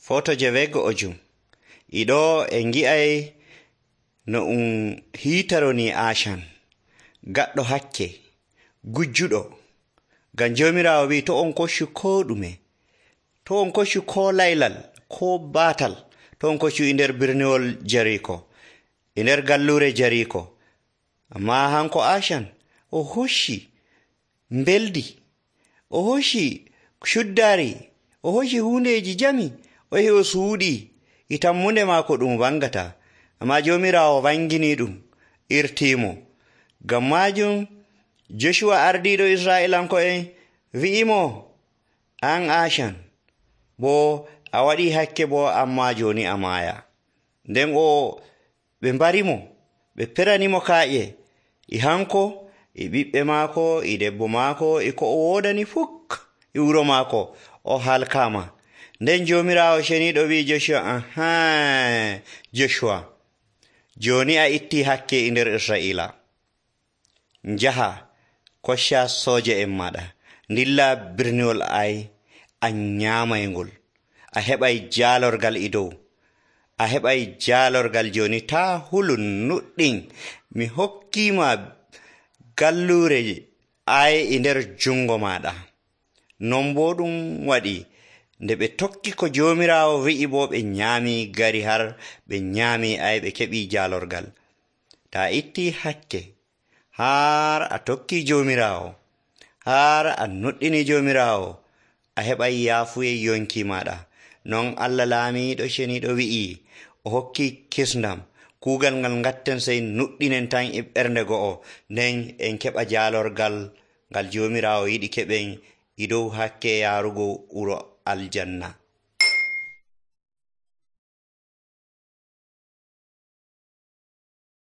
Foto 9 Iɗo en gi'ay no hiitaroni Acan gaɗɗo hakke gujjuɗo, ngam Joomiraawo wi'i to on koccu koo ɗume, to on koccu koo laylal koo baatal, to on koccu e nder birniwol Jariiko, e nder galluure Jariiko. Ammaa hanko Acan o hocci mbeldi, o hocci cuddaari, o hocci huundeeji jami, o yahi o suuɗii e tammunde maako ɗum wangataa. Ammaa Joomiraawo wanginii ɗum, irtiimo. Ngam maajum Joshuwa ardiiɗo Israa'iilanko'en wi'imo, an Acan boo a waɗii hakke boo ammaa jooni a maaya. Nden ɓe mbarimo, ɓe peranimo kaaƴe e hanko e ɓiɓɓe maako e debbo maako e ko o woodani fuk e wuro maako, o halkaama. Nden Joomiraawo ceniiɗo wi'i Joshuwa, Joshuwa, jooni a ittii hakke e nder Israa'iila. Njaha koccaa sooje'en maaɗa, ndilla birniwol Ay, a nyaamaygol, a heɓay jaalorgal e dow, a heɓay jaalorgal jooni. Taa hulu nuɗɗin, mi hokkiima galluure Ay e nder jungo maaɗa. Non boo ɗum waɗi. Nde ɓe tokki ko Joomiraawo wi'i boo ɓe nyaamii gari har ɓe nyaamii Ay, ɓe keɓii jaalorgal. Taa ittii hakke har a tokkii Joomiraawo, har a nuɗɗinii Joomiraawo, a heɓay yaafuye yonki maaɗa. Non Allah laamiiɗo ceniiɗo wi'i o hokkii kisndam. Kuugal ngal ngatten sey nuɗɗinen tan e ɓernde go'o, nden en keɓa jaalorgal ngal Joomiraawo yiɗi keɓen e dow hakke yaarugo wuro aljanna.